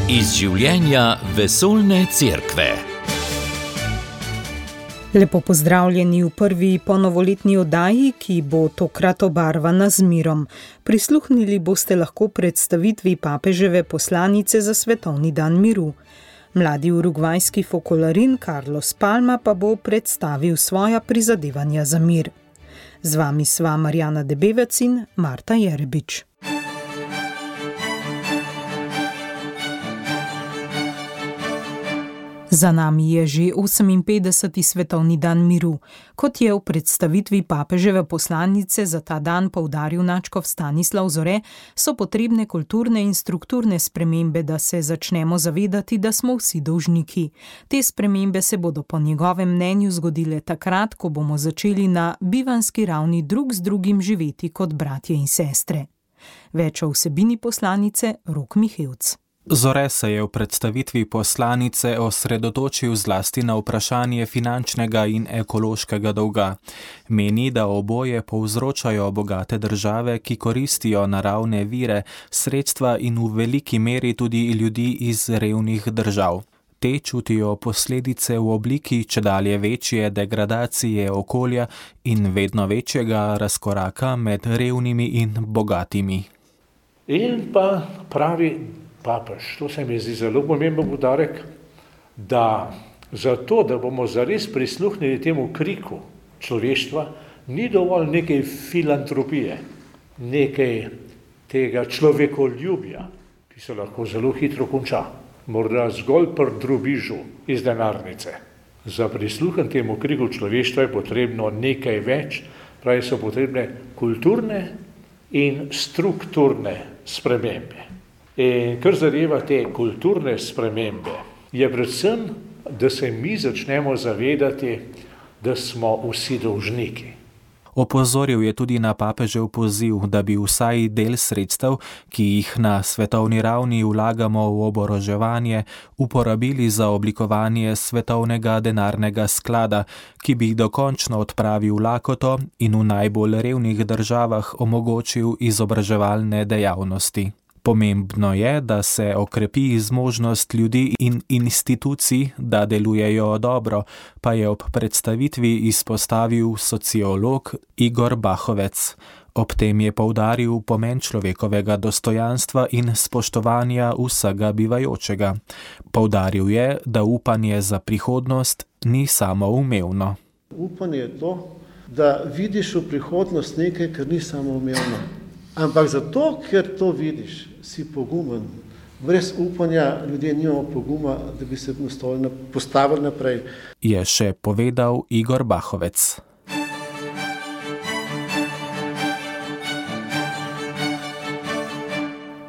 Iz življenja vesoljne cerkve. Lepo pozdravljeni v prvi ponovoletni oddaji, ki bo tokrat obarvana z mirom. Prisluhnili boste lahko predstavitvi papeževe poslanice za Svetovni dan miru. Mladi urugvajski fokolarin Carlos Palma pa bo predstavil svoja prizadevanja za mir. Z vami sva Marjana Debevec in Marta Jerebič. Za nami je že 58. Svetovni dan miru. Kot je v predstavitvi papeževe poslanice za ta dan poudaril nadškof Stanislav Zore, so potrebne kulturne in strukturne spremembe, da se začnemo zavedati, da smo vsi dolžniki. Te spremembe se bodo po njegovem mnenju zgodile takrat, ko bomo začeli na bivanski ravni drug z drugim živeti kot bratje in sestre. Več o vsebini poslanice Rok Mihevc. Zore se je v predstavitvi poslanice osredotočil zlasti na vprašanje finančnega in ekološkega dolga. Meni, da oboje povzročajo bogate države, ki koristijo naravne vire, sredstva in v veliki meri tudi ljudi iz revnih držav. Te čutijo posledice v obliki čedalje večje degradacije okolja in vedno večjega razkoraka med revnimi in bogatimi. In pa pravi papež, to se mi zdi zelo pomemben poudarek, da zato, da bomo zares prisluhnili temu kriku človeštva, ni dovolj nekaj filantropije, nekaj tega človekoljubja, ki se lahko zelo hitro konča, morda zgolj pri drobižu iz denarnice. Za prisluhen temu kriku človeštva je potrebno nekaj več, pravi so potrebne kulturne in strukturne spremembe. In kar zadeva te kulturne spremembe, je predvsem, da se mi začnemo zavedati, da smo vsi dolžniki. Opozoril je tudi na papežev poziv, da bi vsaj del sredstev, ki jih na svetovni ravni vlagamo v oboroževanje, uporabili za oblikovanje svetovnega denarnega sklada, ki bi dokončno odpravil lakoto in v najbolj revnih državah omogočil izobraževalne dejavnosti. Pomembno je, da se okrepi zmožnost ljudi in institucij, da delujejo dobro, pa je ob predstavitvi izpostavil sociolog Igor Bahovec. Ob tem je poudaril pomen človekovega dostojanstva in spoštovanja vsega bivajočega. Poudaril je, da upanje za prihodnost ni samoumevno. Upanje je to, da vidiš v prihodnost nekaj, kar ni samoumevno. Ampak zato, ker to vidiš, si pogumen. Brez upanja ljudje nimamo poguma, da bi se postavili naprej. Je še povedal Igor Bahovec.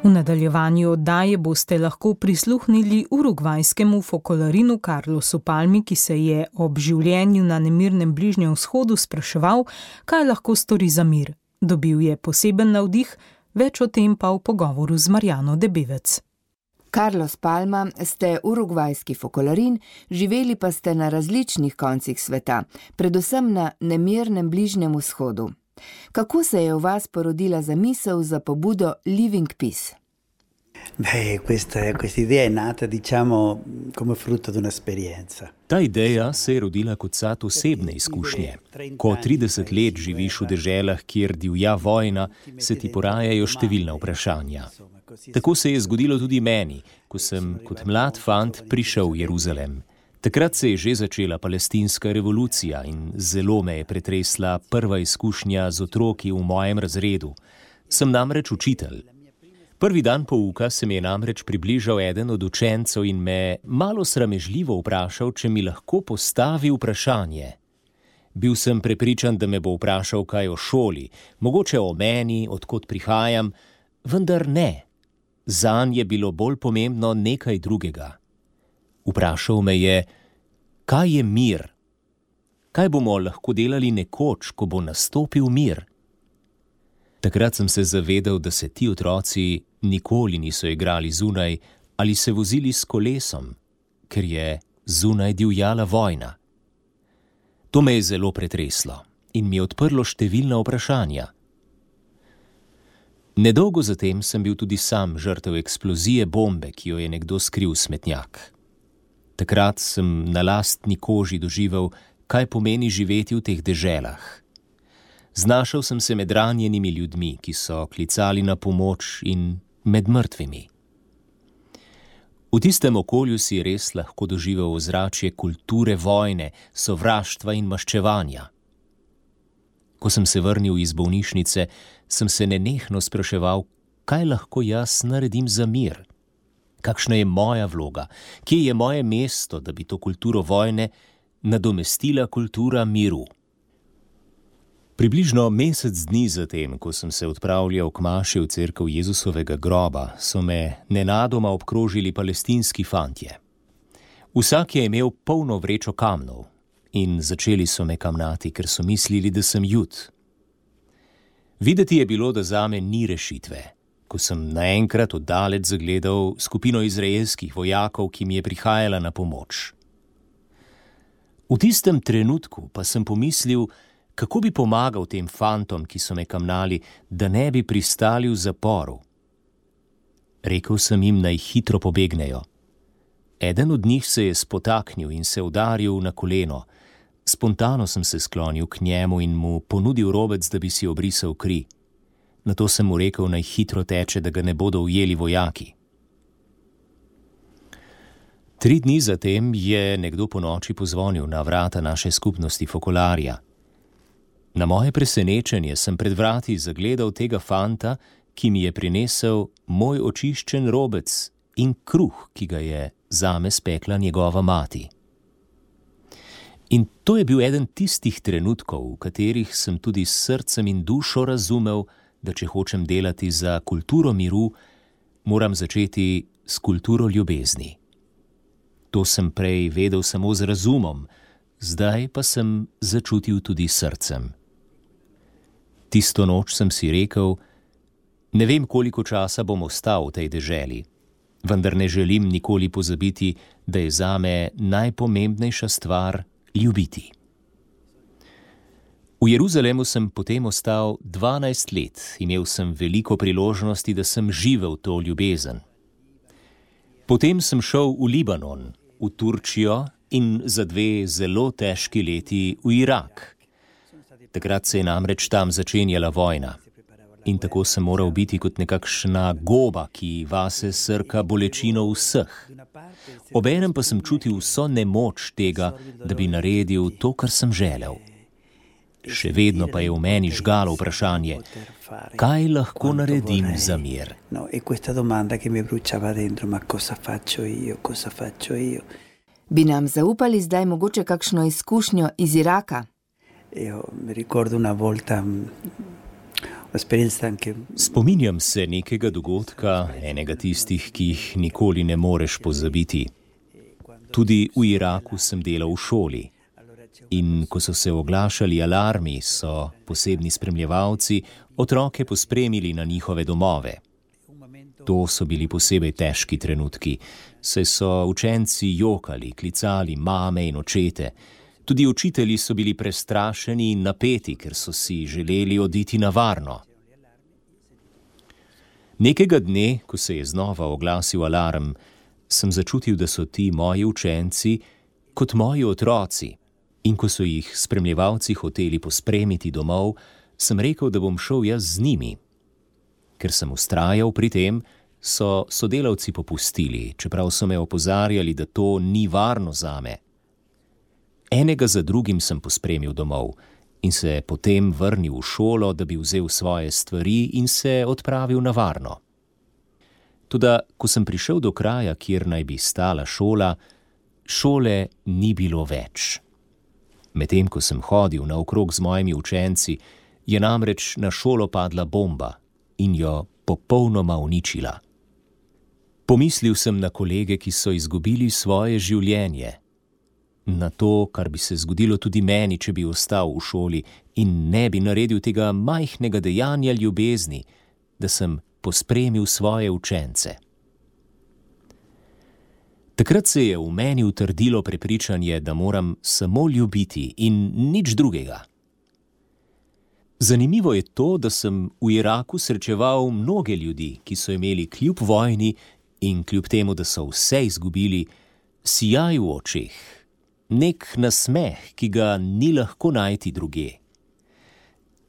V nadaljevanju oddaje boste lahko prisluhnili urugvajskemu fokolarinu Carlosu Palmi, ki se je ob življenju na nemirnem Bližnjem vzhodu spraševal, kaj lahko stori za mir. Dobil je poseben navdih, več o tem pa v pogovoru z Marjano Debevec. Carlos Palma, ste urugvajski fokolarin, živeli pa ste na različnih koncih sveta, predvsem na nemirnem Bližnjem vzhodu. Kako se je v vas porodila zamisel za pobudo Living Peace? Questa idea è nata, diciamo, come frutto di un'esperienza. Ta ideja se je rodila kot sad osebne izkušnje. Ko 30 let živiš v deželah, kjer divja vojna, se ti porajajo številna vprašanja. Tako se je zgodilo tudi meni, ko sem kot mlad fant prišel v Jeruzalem. Takrat se je že začela palestinska revolucija in zelo me je pretresla prva izkušnja z otroki v mojem razredu. Sem namreč učitelj. Prvi dan pouka se mi je namreč približal eden od učencev in me malo sramežljivo vprašal, če mi lahko postavi vprašanje. Bil sem prepričan, da me bo vprašal kaj o šoli, mogoče o meni, odkot prihajam, vendar ne. Zanj je bilo bolj pomembno nekaj drugega. Vprašal me je, kaj je mir? Kaj bomo lahko delali nekoč, ko bo nastopil mir? Takrat sem se zavedal, da se ti otroci nikoli niso igrali zunaj ali se vozili s kolesom, ker je zunaj divjala vojna. To me je zelo pretreslo in mi je odprlo številna vprašanja. Nedolgo zatem sem bil tudi sam žrtev eksplozije bombe, ki jo je nekdo skril v smetnjak. Takrat sem na lastni koži doživel, kaj pomeni živeti v teh deželah. Znašel sem se med ranjenimi ljudmi, ki so klicali na pomoč, in med mrtvimi. V tistem okolju si res lahko doživel ozračje kulture vojne, sovraštva in maščevanja. Ko sem se vrnil iz bolnišnice, sem se nenehno spraševal, kaj lahko jaz naredim za mir. Kakšna je moja vloga, kje je moje mesto, da bi to kulturo vojne nadomestila kultura miru. Približno mesec dni zatem, ko sem se odpravljal k maši v cerkev Jezusovega groba, so me nenadoma obkrožili palestinski fantje. Vsak je imel polno vrečo kamnov in začeli so me kamnati, ker so mislili, da sem Jud. Videti je bilo, da zame ni rešitve, ko sem naenkrat oddaleč zagledal skupino izraelskih vojakov, ki mi je prihajala na pomoč. V tistem trenutku pa sem pomislil, kako bi pomagal tem fantom, ki so me kamnali, da ne bi pristali v zaporu. Rekel sem jim, naj hitro pobegnejo. Eden od njih se je spotaknil in se udaril na koleno. Spontano sem se sklonil k njemu in mu ponudil robec, da bi si obrisal kri. Nato sem mu rekel, naj hitro teče, da ga ne bodo ujeli vojaki. 3 dni zatem je nekdo ponoči pozvonil na vrata naše skupnosti Fokolarja. Na moje presenečenje sem pred vrati zagledal tega fanta, ki mi je prinesel moj očiščen robec in kruh, ki ga je zame spekla njegova mati. In to je bil eden tistih trenutkov, v katerih sem tudi s srcem in dušo razumel, da če hočem delati za kulturo miru, moram začeti s kulturo ljubezni. To sem prej vedel samo z razumom, zdaj pa sem začutil tudi srcem. Tisto noč sem si rekel, ne vem, koliko časa bom ostal v tej deželi, vendar ne želim nikoli pozabiti, da je zame najpomembnejša stvar ljubiti. V Jeruzalemu sem potem ostal 12 let, imel sem veliko priložnosti, da sem živel to ljubezen. Potem sem šel v Libanon, v Turčijo in za 2 zelo težki leti v Irak. Takrat se je namreč tam začenjala vojna. In tako sem moral biti kot nekakšna goba, ki vase srka bolečino vseh. Obenem pa sem čutil vso nemoč tega, da bi naredil to, kar sem želel. Še vedno pa je v meni žgalo vprašanje, kaj lahko naredim za mir. Bi nam zaupali zdaj mogoče kakšno izkušnjo iz Iraka? Spominjam se nekega dogodka, enega tistih, ki jih nikoli ne moreš pozabiti. Tudi v Iraku sem delal v šoli. In ko so se oglašali alarmi, so posebni spremljevalci otroke pospremili na njihove domove. To so bili posebej težki trenutki, saj so učenci jokali, klicali mame in očete. Tudi učitelji so bili prestrašeni in napeti, ker so si želeli oditi na varno. Nekega dne, ko se je znova oglasil alarm, sem začutil, da so ti moji učenci kot moji otroci. In ko so jih spremljevalci hoteli pospremiti domov, sem rekel, da bom šel jaz z njimi. Ker sem vztrajal pri tem, so sodelavci popustili, čeprav so me opozarjali, da to ni varno zame. Enega za drugim sem pospremil domov in se potem vrnil v šolo, da bi vzel svoje stvari in se odpravil na varno. Toda, ko sem prišel do kraja, kjer naj bi stala šola, šole ni bilo več. Medtem, ko sem hodil naokrog z mojimi učenci, je namreč na šolo padla bomba in jo popolnoma uničila. Pomislil sem na kolege, ki so izgubili svoje življenje, na to, kar bi se zgodilo tudi meni, če bi ostal v šoli in ne bi naredil tega majhnega dejanja ljubezni, da sem pospremil svoje učence. Takrat se je v meni utrdilo prepričanje, da moram samo ljubiti in nič drugega. Zanimivo je to, da sem v Iraku srečeval mnoge ljudi, ki so imeli kljub vojni in kljub temu, da so vse izgubili, sijaj v očeh, nek nasmeh, ki ga ni lahko najti drugje.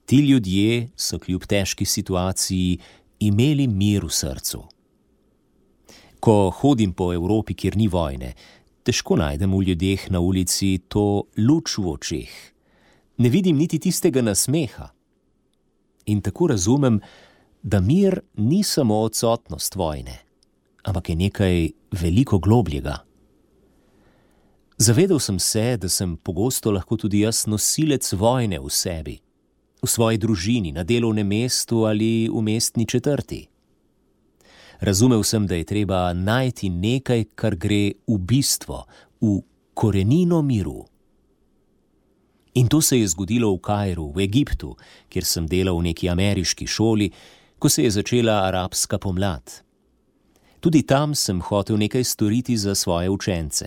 Ti ljudje so kljub težki situaciji imeli mir v srcu. Ko hodim po Evropi, kjer ni vojne, težko najdem v ljudeh na ulici to luč v očeh. Ne vidim niti tistega nasmeha. In tako razumem, da mir ni samo odsotnost vojne, ampak je nekaj veliko globljega. Zavedal sem se, da sem pogosto lahko tudi jaz nosilec vojne v sebi, v svoji družini, na delovnem mestu ali v mestni četrti. Razumel sem, da je treba najti nekaj, kar gre v bistvo, v korenino miru. In to se je zgodilo v Kairu, v Egiptu, kjer sem delal v neki ameriški šoli, ko se je začela arabska pomlad. Tudi tam sem hotel nekaj storiti za svoje učence.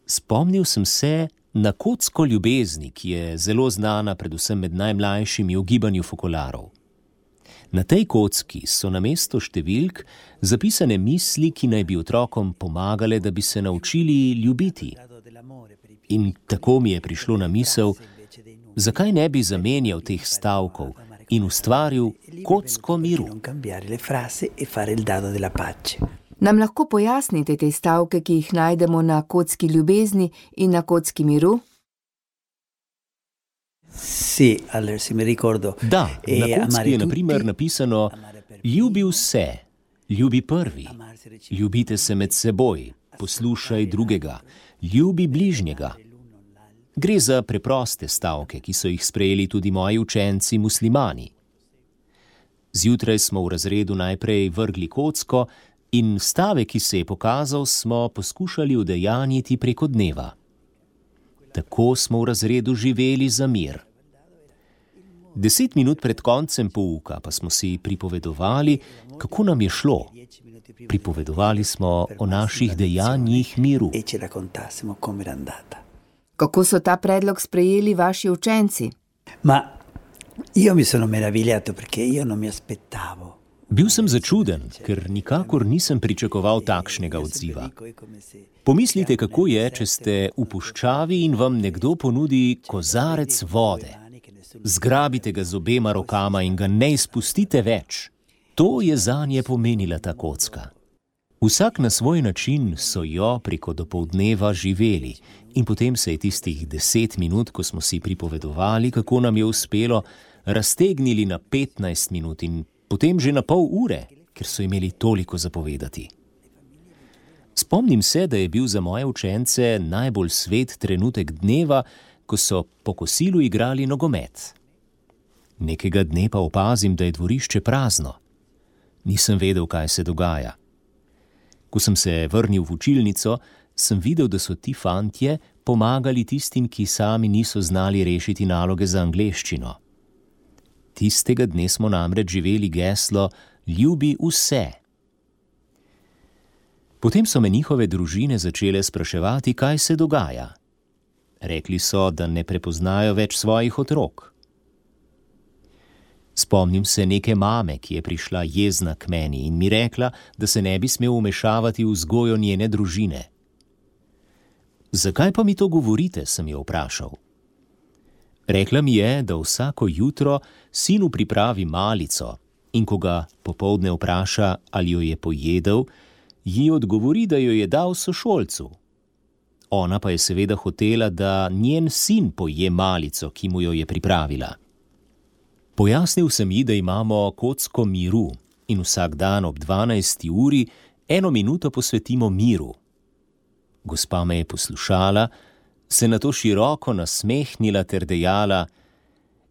Spomnil sem se na kocko ljubezni, ki je zelo znana predvsem med najmlajšimi v gibanju fokolarov. Na tej kocki so namesto številk zapisane misli, ki naj bi otrokom pomagale, da bi se naučili ljubiti. In tako mi je prišlo na misel, zakaj ne bi zamenjal teh stavkov in ustvaril kocko miru. Nam lahko pojasnite te stavke, ki jih najdemo na kocki ljubezni in na kocki miru? Da, na kocki je na primer napisano: ljubi vse, ljubi prvi, ljubite se med seboj, poslušaj drugega, ljubi bližnjega. Gre za preproste stavke, ki so jih sprejeli tudi moji učenci muslimani. Zjutraj smo v razredu najprej vrgli kocko in stavek, ki se je pokazal, smo poskušali udejanjiti preko dneva. Tako smo v razredu živeli za mir. 10 minut pred koncem pouka pa smo si pripovedovali, kako nam je šlo. Pripovedovali smo o naših dejanjih miru. Kako so ta predlog sprejeli vaši učenci? Bil sem začuden, ker nikakor nisem pričakoval takšnega odziva. Pomislite, kako je, če ste v puščavi in vam nekdo ponudi kozarec vode. Zgrabite ga z obema rokama in ga ne izpustite več. To je zanje pomenila ta kocka. Vsak na svoj način so jo preko dopoldneva živeli in potem se je tistih 10 minut, ko smo si pripovedovali, kako nam je uspelo, raztegnili na 15 minut in potem že na pol ure, ker so imeli toliko zapovedati. Spomnim se, da je bil za moje učence najbolj svet trenutek dneva, ko so po kosilu igrali nogomet. Nekega dne pa opazim, da je dvorišče prazno. Nisem vedel, kaj se dogaja. Ko sem se vrnil v učilnico, sem videl, da so ti fantje pomagali tistim, ki sami niso znali rešiti naloge za angleščino. Tistega dne smo namreč živeli geslo ljubi vse. Potem so me njihove družine začele spraševati, kaj se dogaja. Rekli so, da ne prepoznajo več svojih otrok. Spomnim se neke mame, ki je prišla jezna k meni in mi rekla, da se ne bi smel vmešavati v vzgojo njene družine. Zakaj pa mi to govorite, sem jo vprašal. Rekla mi je, da vsako jutro sinu pripravi malico in ko ga popoldne vpraša, ali jo je pojedel, ji odgovori, da jo je dal sošolcu. Ona pa je seveda hotela, da njen sin poje malico, ki mu jo je pripravila. Pojasnil sem ji, da imamo kocko miru in vsak dan ob 12. uri 1 minuto posvetimo miru. Gospa me je poslušala, se nato široko nasmehnila ter dejala: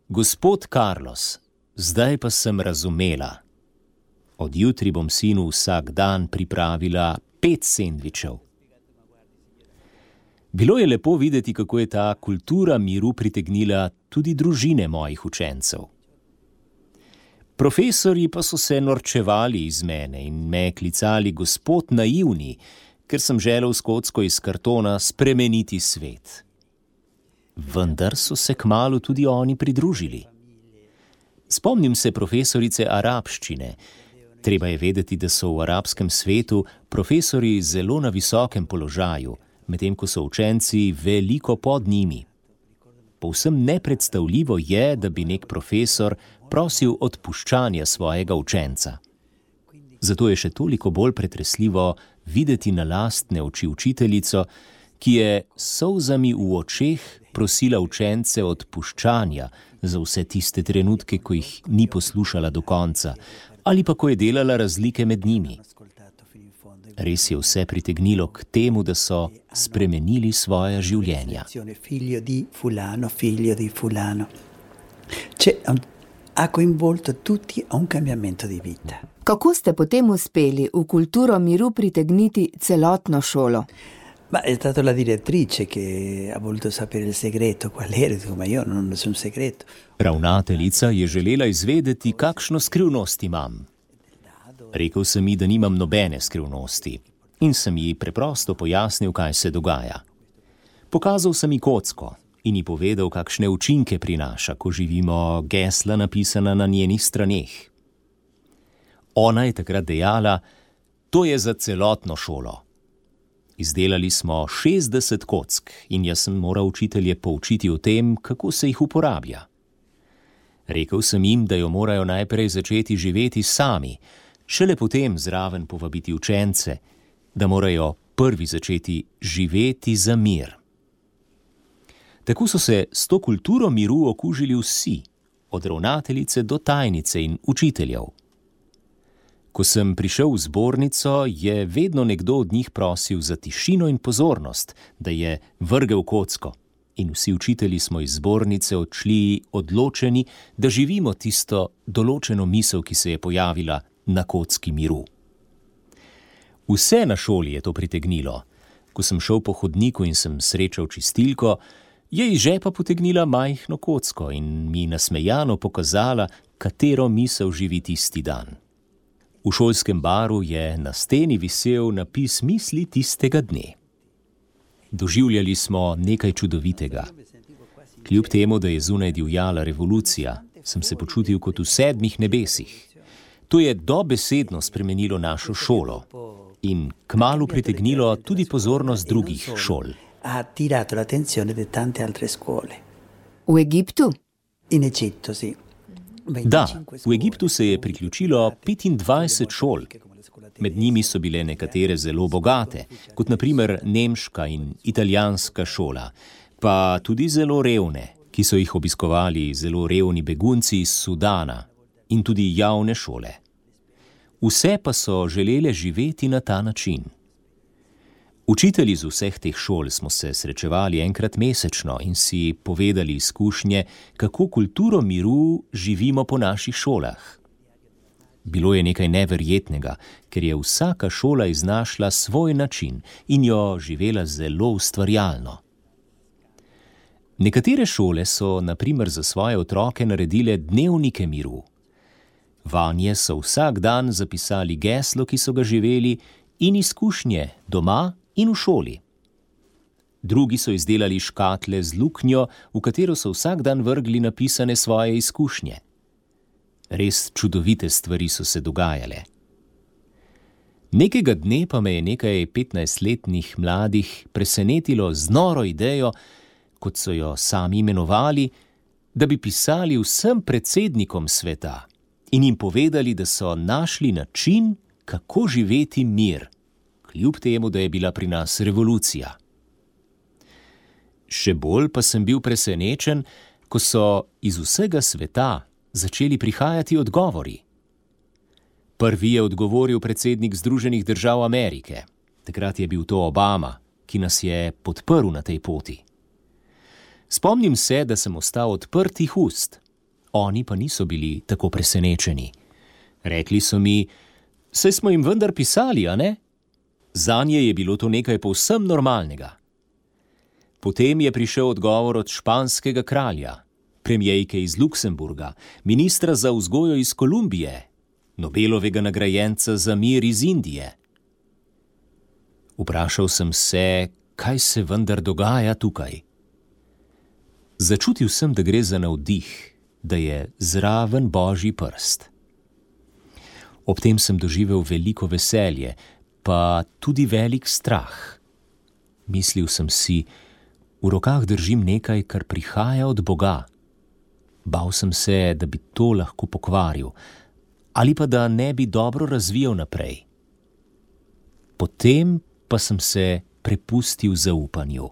Gospod Carlos, zdaj pa sem razumela. Od jutri bom sinu vsak dan pripravila 5 sendvičev. Bilo je lepo videti, kako je ta kultura miru pritegnila tudi družine mojih učencev. Profesorji pa so se norčevali iz mene in me klicali gospod naivni, ker sem želel s kocko iz kartona spremeniti svet. Vendar so se kmalu tudi oni pridružili. Spomnim se profesorice arabščine. Treba je vedeti, da so v arabskem svetu profesori zelo na visokem položaju, medtem ko so učenci veliko pod njimi. Povsem nepredstavljivo je, da bi nek profesor prosil odpuščanja svojega učenca. Zato je še toliko bolj pretresljivo videti na lastne oči učiteljico, ki je s solzami v očeh prosila učence odpuščanja za vse tiste trenutke, ko jih ni poslušala do konca, ali pa ko je delala razlike med njimi. Res je vse pritegnilo k temu, da so spremenili svoja življenja. Figlio di fulano. Ha coinvolto tutti a un cambiamento di vita. Kako ste potem uspeli v kulturo miru pritegniti celotno šolo? Ma è stata la direttrice che ha voluto sapere il segreto, qual era, ma io non so un segreto. Ravnateljica je želela izvedeti, kakšno skrivnost imam. Rekel sem ji, da nimam nobene skrivnosti in sem ji preprosto pojasnil, kaj se dogaja. Pokazal sem ji kocko in ji povedal, kakšne učinke prinaša, ko živimo gesla napisana na njenih straneh. Ona je takrat dejala, to je za celotno šolo. Izdelali smo 60 kock in jaz sem moral učitelje poučiti o tem, kako se jih uporablja. Rekel sem jim, da jo morajo najprej začeti živeti sami, šele potem zraven povabiti učence, da morajo prvi začeti živeti za mir. Tako so se s to kulturo miru okužili vsi, od ravnateljice do tajnice in učiteljev. Ko sem prišel v zbornico, je vedno nekdo od njih prosil za tišino in pozornost, da je vrgel kocko. In vsi učitelji smo iz zbornice odšli odločeni, da živimo tisto določeno misel, ki se je pojavila na kocki miru. Vse na šoli je to pritegnilo. Ko sem šel po hodniku in sem srečal čistilko, je iz žepa potegnila majhno kocko in mi nasmejano pokazala, katero misel živi tisti dan. V šolskem baru je na steni visel napis misli tistega dne. Doživljali smo nekaj čudovitega. Kljub temu, da je zunaj divjala revolucija, sem se počutil kot v 7 nebesih. To je dobesedno spremenilo našo šolo in kmalu pritegnilo tudi pozornost drugih šol. Ha attirato l'attenzione di tante altre scuole. V Egiptu? In Egitto, sì. Da, v Egiptu se je priključilo 25 šol. Med njimi so bile nekatere zelo bogate, kot na primer nemška in italijanska šola, pa tudi zelo revne, ki so jih obiskovali zelo revni begunci iz Sudana, in tudi javne šole. Vse pa so želele živeti na ta način. Učitelji z vseh teh šol smo se srečevali enkrat mesečno in si povedali izkušnje, kako kulturo miru živimo po naših šolah. Bilo je nekaj neverjetnega, ker je vsaka šola iznašla svoj način in jo živela zelo ustvarjalno. Nekatere šole so, na primer, za svoje otroke naredile dnevnike miru. Vanje so vsak dan zapisali geslo, ki so ga živeli, in izkušnje doma in v šoli. Drugi so izdelali škatle z luknjo, v katero so vsak dan vrgli napisane svoje izkušnje. Res čudovite stvari so se dogajale. Nekega dne pa me je nekaj 15-letnih mladih presenetilo z noro idejo, kot so jo sami imenovali, da bi pisali vsem predsednikom sveta in jim povedali, da so našli način, kako živeti mir, kljub temu, da je bila pri nas revolucija. Še bolj pa sem bil presenečen, ko so iz vsega sveta začeli prihajati odgovori. Prvi je odgovoril predsednik Združenih držav Amerike. Takrat je bil to Obama, ki nas je podprl na tej poti. Spomnim se, da sem ostal odprtih ust. Oni pa niso bili tako presenečeni. Rekli so mi, saj smo jim vendar pisali, a ne? Zanje je bilo to nekaj povsem normalnega. Potem je prišel odgovor od španskega kralja, premijejke iz Luksemburga, ministra za vzgojo iz Kolumbije, Nobelovega nagrajenca za mir iz Indije. Vprašal sem se, kaj se vendar dogaja tukaj. Začutil sem, da gre za navdih da je zraven Božji prst. Ob tem sem doživel veliko veselje, pa tudi velik strah. Mislil sem si, v rokah držim nekaj, kar prihaja od Boga. Bal sem se, da bi to lahko pokvaril, ali pa da ne bi dobro razvijal naprej. Potem pa sem se prepustil zaupanju.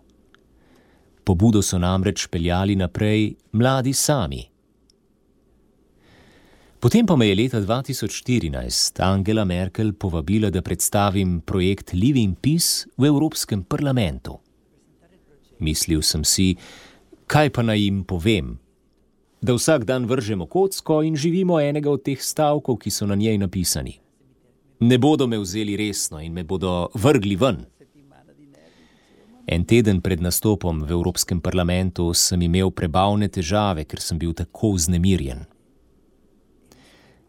Pobudo so namreč peljali naprej mladi sami. Potem pa me je leta 2014 Angela Merkel povabila, da predstavim projekt Living Peace v Evropskem parlamentu. Mislil sem si, kaj pa naj jim povem? Da vsak dan vržemo kocko in živimo enega od teh stavkov, ki so na njej napisani. Ne bodo me vzeli resno in me bodo vrgli ven. En teden pred nastopom v Evropskem parlamentu sem imel prebavne težave, ker sem bil tako vznemirjen.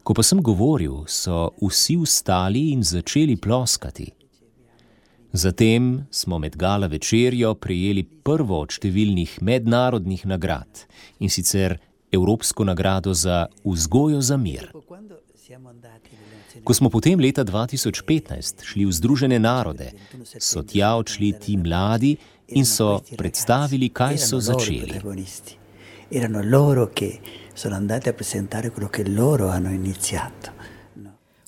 Ko pa sem govoril, so vsi vstali in začeli ploskati. Zatem smo med gala večerjo prejeli prvo od številnih mednarodnih nagrad, in sicer Evropsko nagrado za vzgojo za mir. Ko smo potem leta 2015 šli v Združene narode, so tja odšli ti mladi in so predstavili, kaj so začeli. Erano loro che sono andati a presentare quello che loro hanno iniziato.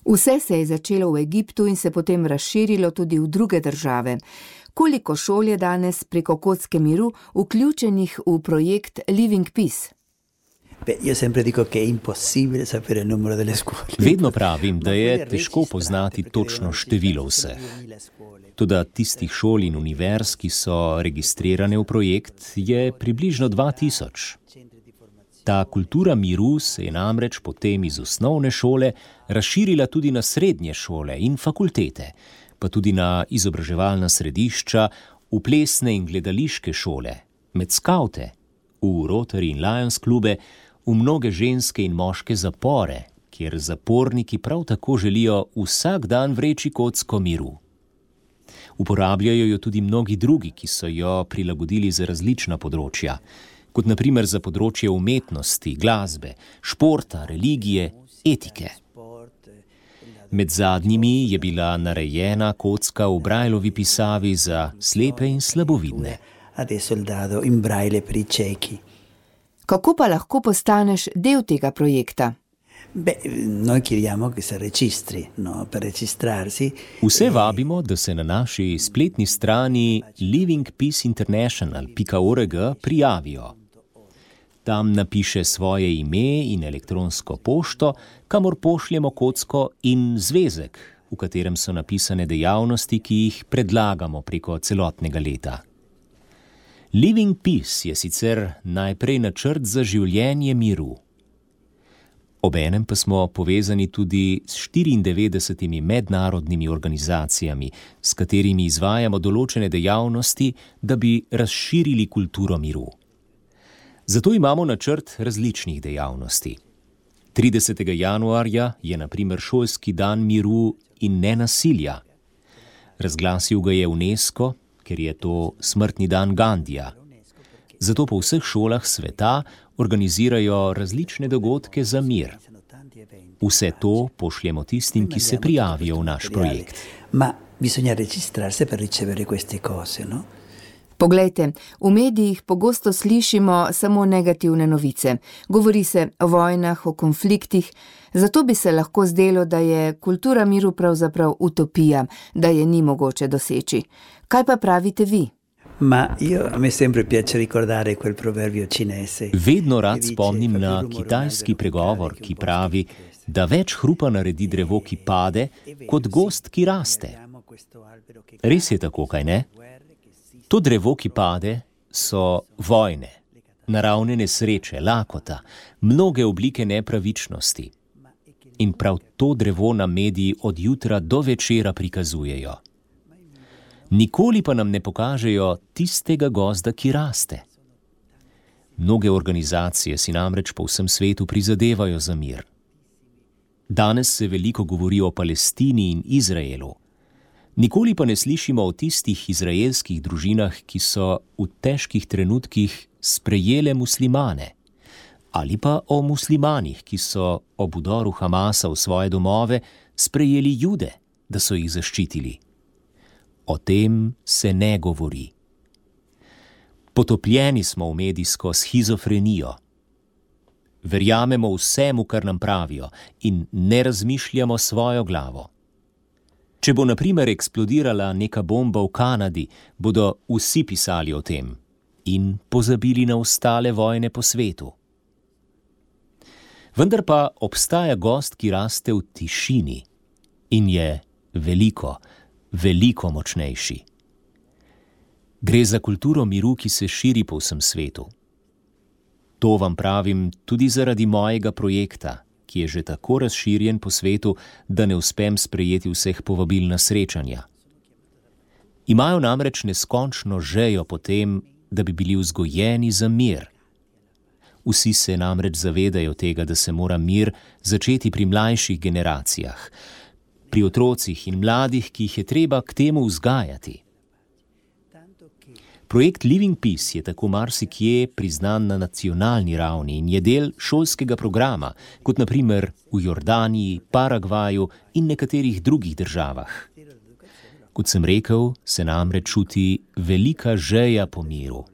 Vse se je začelo v Egiptu in se potem razširilo tudi v druge države. Koliko šol je danes preko Kocke miru vključenih v projekt Living Peace? Io sempre dico che è impossibile sapere il numero delle scuole. Vedno pravim, da je težko poznati točno število vseh. Toda tistih šol in univerz, ki so registrirane v projekt, je približno 2000. Ta kultura miru se je namreč potem iz osnovne šole razširila tudi na srednje šole in fakultete, pa tudi na izobraževalna središča, v plesne in gledališke šole, med skavte, v Rotary in Lions klube, v mnoge ženske in moške zapore, kjer zaporniki prav tako želijo vsak dan vreči kocko miru. Uporabljajo jo tudi mnogi drugi, ki so jo prilagodili za različna področja, kot na primer za področje umetnosti, glasbe, športa, religije, etike. Med zadnjimi je bila narejena kocka v Braillovi pisavi za slepe in slabovidne. Adesso il dado in braille per i ciechi. Kako pa lahko postaneš del tega projekta? Noi chiediamo che si registri, no? Per registrarsi. Vse vabimo, da se na naši spletni strani livingpeaceinternational.org prijavijo. Tam napiše svoje ime in elektronsko pošto, kamor pošljemo kocko in zvezek, v katerem so napisane dejavnosti, ki jih predlagamo preko celotnega leta. Living Peace je sicer najprej načrt za življenje miru. Obenem pa smo povezani tudi s 94 mednarodnimi organizacijami, s katerimi izvajamo določene dejavnosti, da bi razširili kulturo miru. Zato imamo načrt različnih dejavnosti. 30. januarja je na primer šolski dan miru in nenasilja. Razglasil ga je UNESCO, ker je to smrtni dan Gandija. Zato po vseh šolah sveta organizirajo različne dogodke za mir. Vse to pošljemo tistim, ki se prijavijo v naš projekt. Ma bisogna registrarsi per ricevere queste cose, no? Poglejte, v medijih pogosto slišimo samo negativne novice. Govori se o vojnah, o konfliktih, zato bi se lahko zdelo, da je kultura miru pravzaprav utopija, da je ni mogoče doseči. Kaj pa pravite vi? A me sempre piace ricordare quel proverbio cinese. Vedno rad spomnim na kitajski pregovor, ki pravi, da več hrupa naredi drevo, ki pade, kot gozd, ki raste. Res je tako, kaj ne? To drevo, ki pade, so vojne, naravne nesreče, lakota, mnoge oblike nepravičnosti. In prav to drevo nam mediji od jutra do večera prikazujejo. Nikoli pa nam ne pokažejo tistega gozda, ki raste. Mnoge organizacije si namreč po vsem svetu prizadevajo za mir. Danes se veliko govori o Palestini in Izraelu. Nikoli pa ne slišimo o tistih izraelskih družinah, ki so v težkih trenutkih sprejele muslimane, ali pa o muslimanih, ki so ob vdoru Hamasa v svoje domove sprejeli Jude, da so jih zaščitili. O tem se ne govori. Potopljeni smo v medijsko shizofrenijo. Verjamemo vsemu, kar nam pravijo, in ne razmišljamo svojo glavo. Če bo na primer eksplodirala neka bomba v Kanadi, bodo vsi pisali o tem in pozabili na ostale vojne po svetu. Vendar pa obstaja gost, ki raste v tišini in je veliko, veliko močnejši. Gre za kulturo miru, ki se širi po vsem svetu. To vam pravim tudi zaradi mojega projekta, ki je že tako razširjen po svetu, da ne uspem sprejeti vseh povabil na srečanja. Imajo namreč neskončno žejo po tem, da bi bili vzgojeni za mir. Vsi se namreč zavedajo tega, da se mora mir začeti pri mlajših generacijah, pri otrocih in mladih, ki jih je treba k temu vzgajati. Projekt Living Peace je tako marsikje priznan na nacionalni ravni in je del šolskega programa, kot na primer v Jordaniji, Paragvaju in nekaterih drugih državah. Kot sem rekel, se namreč čuti velika žeja po miru.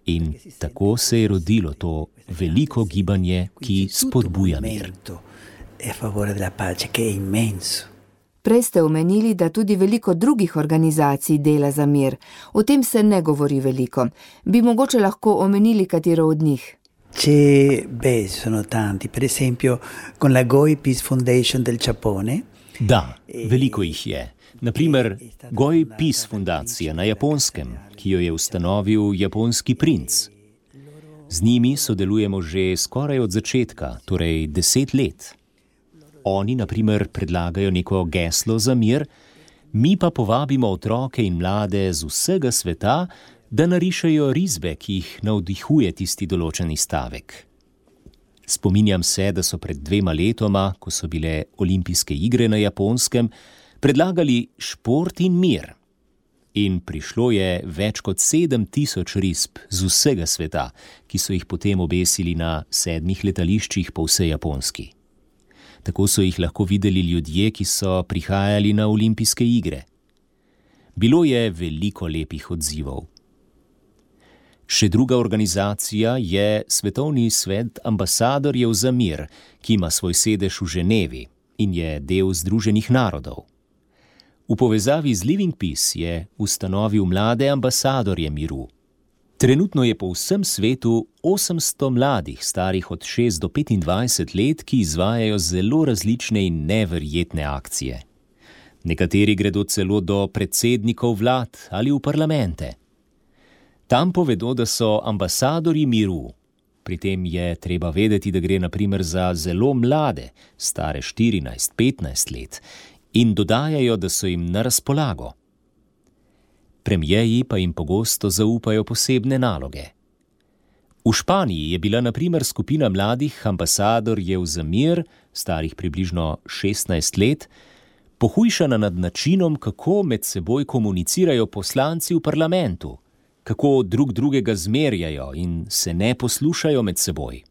In tako se je rodilo to veliko gibanje, ki spodbuja mir. Prej ste omenili, da tudi veliko drugih organizacij dela za mir. O tem se ne govori veliko. Bi mogoče lahko omenili katero od njih? Sono tanti. Per esempio, con la Goi Peace Foundation del Giappone. Da, veliko jih je. Naprimer, Goi Peace Fundacija na Japonskem, ki jo je ustanovil japonski princ. Z njimi sodelujemo že skoraj od začetka, torej 10 let. Oni, na primer, predlagajo neko geslo za mir, mi pa povabimo otroke in mlade z vsega sveta, da narišejo risbe, ki jih navdihuje tisti določeni stavek. Spominjam se, da so pred 2 letoma, ko so bile olimpijske igre na Japonskem, predlagali šport in mir. In prišlo je več kot 7000 risb z vsega sveta, ki so jih potem obesili na 7 letališčih po vsej Japonski. Tako so jih lahko videli ljudje, ki so prihajali na olimpijske igre. Bilo je veliko lepih odzivov. Še druga organizacija je Svetovni svet ambasadorjev za mir, ki ima svoj sedež v Ženevi in je del Združenih narodov. V povezavi z Living Peace je ustanovil mlade ambasadorje miru. Trenutno je po vsem svetu 800 mladih, starih od 6 do 25 let, ki izvajajo zelo različne in neverjetne akcije. Nekateri gredo celo do predsednikov vlad ali v parlamente. Tam povedo, da so ambasadorji miru. Pri tem je treba vedeti, da gre na primer za zelo mlade, stare 14-15 let, in dodajajo, da so jim na razpolago. Premijeji pa jim pogosto zaupajo posebne naloge. V Španiji je bila na primer skupina mladih ambasadorjev za mir, starih približno 16 let, pohujšana nad načinom, kako med seboj komunicirajo poslanci v parlamentu, kako drug drugega zmerjajo in se ne poslušajo med seboj.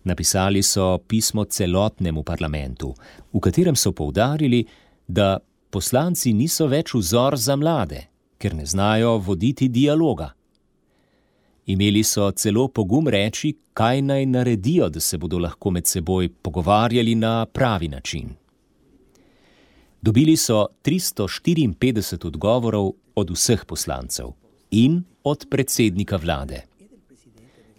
Napisali so pismo celotnemu parlamentu, v katerem so poudarili, da poslanci niso več vzor za mlade, ker ne znajo voditi dialoga. Imeli so celo pogum reči, kaj naj naredijo, da se bodo lahko med seboj pogovarjali na pravi način. Dobili so 354 odgovorov od vseh poslancev in od predsednika vlade.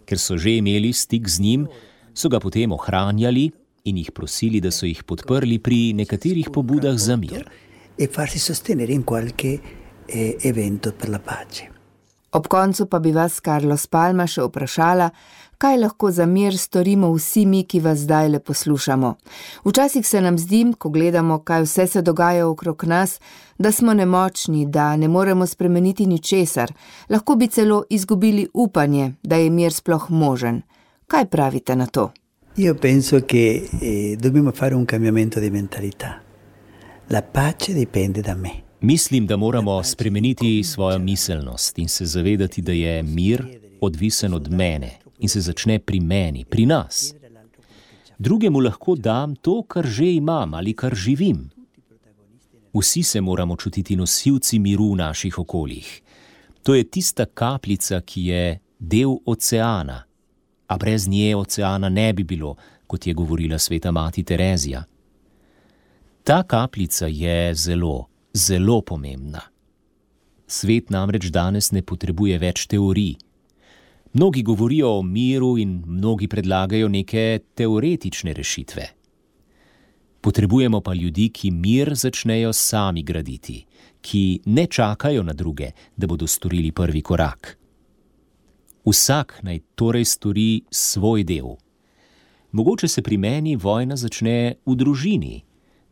Ker so že imeli stik z njim, so ga potem ohranjali in jih prosili, da so jih podprli pri nekaterih pobudah za mir. Ob koncu pa bi vas, Carlos Palma, še vprašala, kaj lahko za mir storimo vsi mi, ki vas zdajle poslušamo. Včasih se nam zdi, ko gledamo, kaj vse se dogaja okrog nas, da smo nemočni, da ne moremo spremeniti ničesar. Lahko bi celo izgubili upanje, da je mir sploh možen. Kaj pravite na to? Io penso che dobbiamo fare un cambiamento di mentalità. La pace dipende da me. Mislim, da moramo spremeniti svojo miselnost in se zavedati, da je mir odvisen od mene in se začne pri meni, pri nas. Drugemu lahko dam to, kar že imam ali kar živim. Vsi se moramo čutiti nosilci miru v naših okoljih. To je tista kapljica, ki je del oceana, a brez nje oceana ne bi bilo, kot je govorila sveta mati Terezija. Ta kapljica je zelo, zelo pomembna. Svet namreč danes ne potrebuje več teorij. Mnogi govorijo o miru in mnogi predlagajo neke teoretične rešitve. Potrebujemo pa ljudi, ki mir začnejo sami graditi, ki ne čakajo na druge, da bodo storili prvi korak. Vsak naj torej stori svoj del. Mogoče se pri meni vojna začne v družini,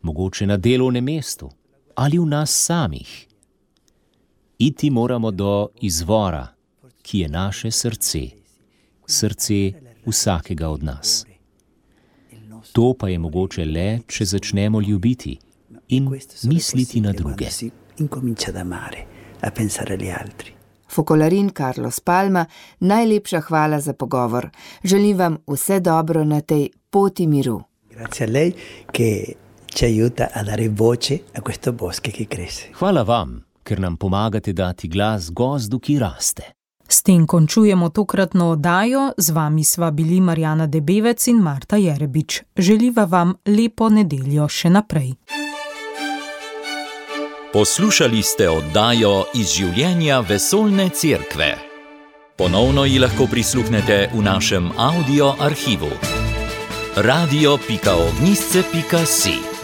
mogoče na delovnem mestu ali v nas samih. Iti moramo do izvora, ki je naše srce, srce vsakega od nas. To pa je mogoče le, če začnemo ljubiti in misliti na druge. Focolarin Carlos Palma, najlepša hvala za pogovor. Želim vam vse dobro na tej poti miru. Hvala vam, ker nam pomagate dati glas gozdu, ki raste. S tem končujemo tokratno oddajo, z vami sva bili Marjana Debevec in Marta Jerebič. Želiva vam lepo nedeljo še naprej. Poslušali ste oddajo iz življenja Vesoljne cerkve. Ponovno ji lahko prisluhnete v našem audio arhivu. radio.ognisce.si